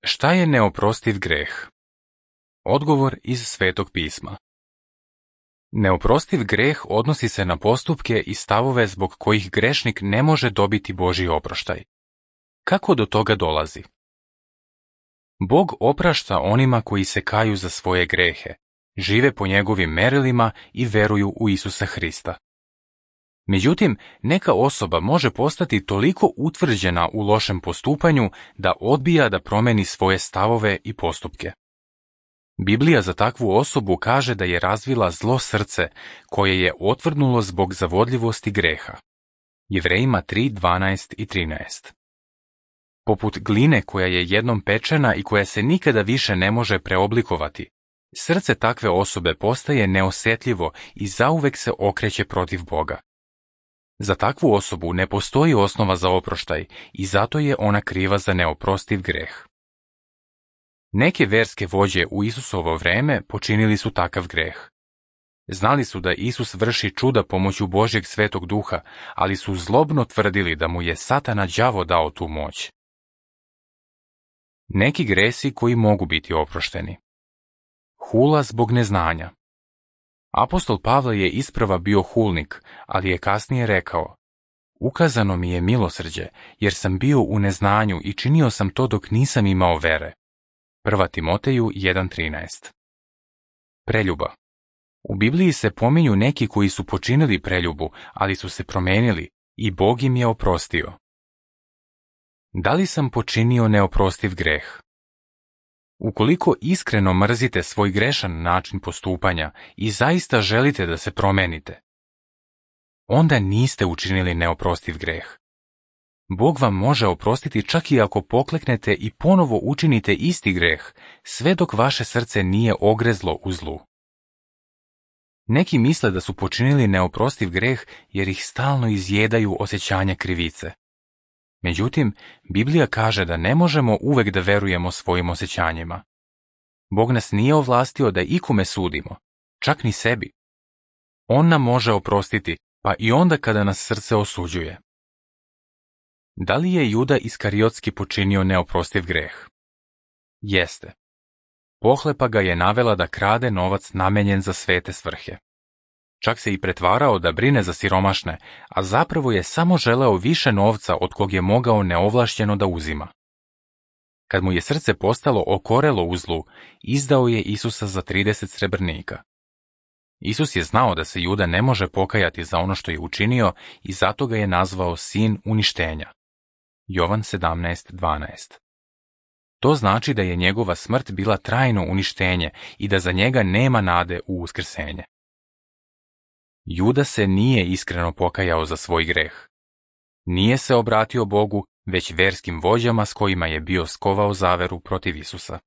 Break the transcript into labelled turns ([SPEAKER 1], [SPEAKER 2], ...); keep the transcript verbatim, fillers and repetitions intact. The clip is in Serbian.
[SPEAKER 1] Šta je neoprostiv greh? Odgovor iz Svetog pisma. Neoprostiv greh odnosi se na postupke i stavove zbog kojih grešnik ne može dobiti Božji oproštaj. Kako do toga dolazi? Bog oprašta onima koji se kaju za svoje grehe, žive po njegovim merilima i veruju u Isusa Hrista. Međutim, neka osoba može postati toliko utvrđena u lošem postupanju da odbija da promeni svoje stavove i postupke. Biblija za takvu osobu kaže da je razvila zlo srce koje je otvrdnulo zbog zavodljivosti greha. Jevrejima tri, dvanaest i trinaest. Poput gline koja je jednom pečena i koja se nikada više ne može preoblikovati, srce takve osobe postaje neosjetljivo i zauvek se okreće protiv Boga. Za takvu osobu ne postoji osnova za oproštaj i zato je ona kriva za neoprostiv greh. Neke verske vođe u Isusovo vreme počinili su takav greh. Znali su da Isus vrši čuda pomoću Božjeg Svetog Duha, ali su zlobno tvrdili da mu je Satana đavo dao tu moć. Neki gresi koji mogu biti oprošteni. Hula zbog neznanja. Apostol Pavle je isprva bio hulnik, ali je kasnije rekao: ukazano mi je milosrđe, jer sam bio u neznanju i činio sam to dok nisam imao vere. Prva Timoteju jedan trinaest. Preljuba. U Bibliji se pominju neki koji su počinili preljubu, ali su se promenili i Bog im je oprostio. Da li sam počinio neoprostiv greh? Ukoliko iskreno mrzite svoj grešan način postupanja i zaista želite da se promenite, onda niste učinili neoprostiv greh. Bog vam može oprostiti čak i ako pokleknete i ponovo učinite isti greh, sve dok vaše srce nije ogrezlo u zlu. Neki misle da su počinili neoprostiv greh jer ih stalno izjedaju osjećanja krivice. Međutim, Biblija kaže da ne možemo uvek da verujemo svojim osjećanjima. Bog nas nije ovlastio da ikome sudimo, čak ni sebi. On nam može oprostiti, pa i onda kada nas srce osuđuje. Da li je Juda Iskariotski počinio neoprostiv greh? Jeste. Pohlepa ga je navela da krade novac namenjen za svete svrhe. Čak se i pretvarao da brine za siromašne, a zapravo je samo želeo više novca od kog je mogao neovlašćeno da uzima. Kad mu je srce postalo okorelo u zlu, izdao je Isusa za trideset srebrnika. Isus je znao da se Juda ne može pokajati za ono što je učinio i zato ga je nazvao sin uništenja. Jovan sedamnaest dvanaest. To znači da je njegova smrt bila trajno uništenje i da za njega nema nade u uskrsenje. Juda se nije iskreno pokajao za svoj greh. Nije se obratio Bogu, već verskim vođama s kojima je bio skovao zaveru protiv Isusa.